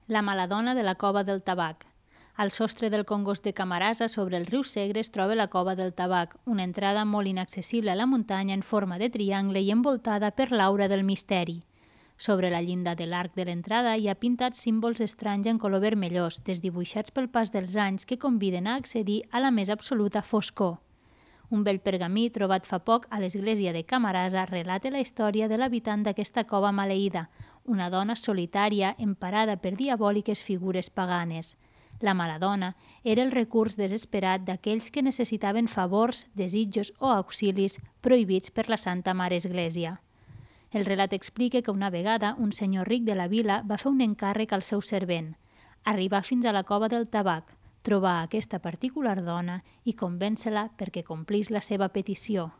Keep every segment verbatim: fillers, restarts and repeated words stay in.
La mala dona de la cova del tabac. Al sostre del congost de Camarasa, sobre el riu Segre, es troba la cova del tabac, una entrada molt inaccessible a la muntanya en forma de triangle i envoltada per l'aura del misteri. Sobre la llinda de l'arc de l'entrada hi ha pintats símbols estranys en color vermellós, desdibuixats pel pas dels anys que conviden a accedir a la més absoluta foscor. Un vell pergamí trobat fa poc a l'església de Camarasa relata la història de l'habitant d'aquesta cova maleïda, una dona solitària emparada per diabòliques figures paganes. La mala dona era el recurs desesperat d'aquells que necessitaven favors, desitjos o auxilis prohibits per la Santa Mare Església. El relat explica que una vegada un senyor ric de la vila va fer un encàrrec al seu servent, arribar fins a la cova del tabac, trobar aquesta particular dona i convèncer-la perquè complís la seva petició.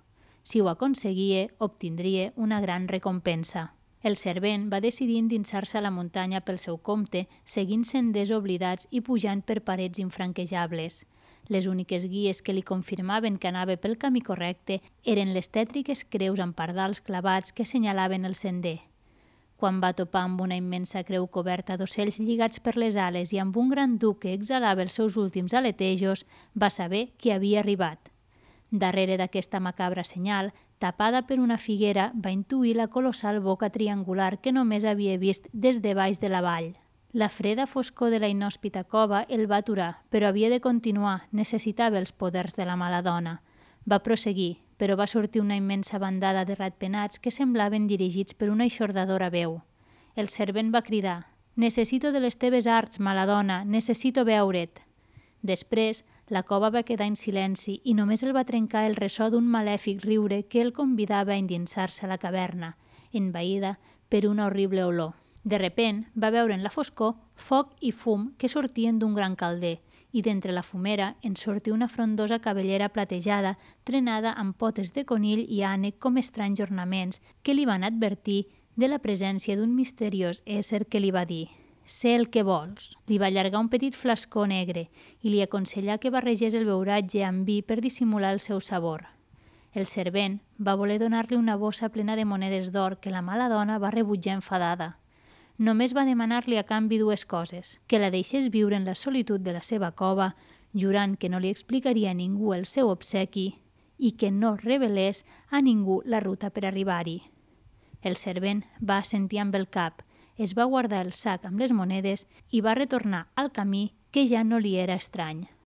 Si ho aconseguia, obtindria una gran recompensa. El servent va decidir endinsar-se a la muntanya pel seu compte, seguint senders oblidats i pujant per parets infranquejables. Les úniques guies que li confirmaven que anava pel camí correcte eren les tètriques creus amb pardals clavats que senyalaven el sender. Quan va topar amb una immensa creu coberta d'ocells lligats per les ales i amb un gran duc que exhalava els seus últims aletejos, va saber que havia arribat. Darrere d'aquesta macabra senyal, tapada per una figuera, va intuir la colossal boca triangular que només havia vist des de baix de la vall. La freda foscor de la inhòspita cova el va aturar, però havia de continuar, necessitava els poders de la mala dona. Va prosseguir, però va sortir una immensa bandada de ratpenats que semblaven dirigits per una eixordadora veu. El servent va cridar: «Necessito de les teves arts, mala dona, necessito veure't». Després, la cova va quedar en silenci i només el va trencar el ressò d'un malèfic riure que el convidava a endinsar-se a la caverna, envaïda per una horrible olor. De repent, va veure en la foscor foc i fum que sortien d'un gran calder i d'entre la fumera en sortia una frondosa cabellera platejada trenada amb potes de conill i ànec com estranys ornaments que li van advertir de la presència d'un misteriós ésser que li va dir: «Sé el que vols». Li va allargar un petit flascó negre i li aconsellà que barregés el beuratge amb vi per dissimular el seu sabor. El servent va voler donar-li una bossa plena de monedes d'or que la mala dona va rebutjar enfadada. Només va demanar-li a canvi dues coses: que la deixés viure en la solitud de la seva cova, jurant que no li explicaria a ningú el seu obsequi i que no revelés a ningú la ruta per arribar-hi. El servent va assentir amb el cap, es va guardar el sac amb les monedes i va retornar al camí que ja no li era estrany.